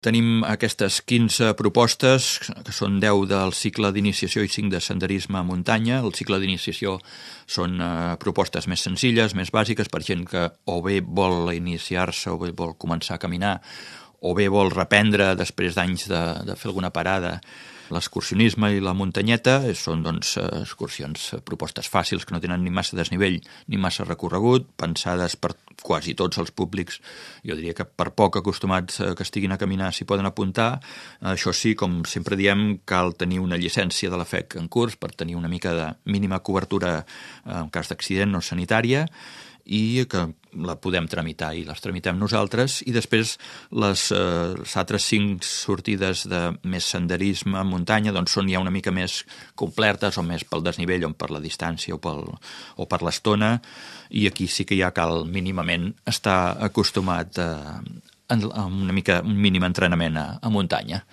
Tenim aquestes 15 propostes, que són 10 del cicle d'iniciació i 5 de senderisme a muntanya. El cicle d'iniciació són propostes més senzilles, més bàsiques, per gent que o bé vol iniciar-se o bé vol començar a caminar, o bé vol reprendre després d'anys de fer alguna parada. L'excursionisme i la muntanyeta són excursions, propostes fàcils que no tenen ni massa desnivell ni massa recorregut, pensades per quasi tots els públics. Jo diria que per poc acostumats que estiguin a caminar s'hi poden apuntar. Això sí, com sempre diem, cal tenir una llicència de la FEC en curs per tenir una mica de mínima cobertura en cas d'accident o sanitària, i que la podem tramitar i les tramitem nosaltres, i després les altres 5 sortides de més senderisme a muntanya són ja una mica més complertes, o més pel desnivell o per la distància o per l'estona, i aquí sí que ja cal mínimament estar acostumat a un mínim entrenament a muntanya.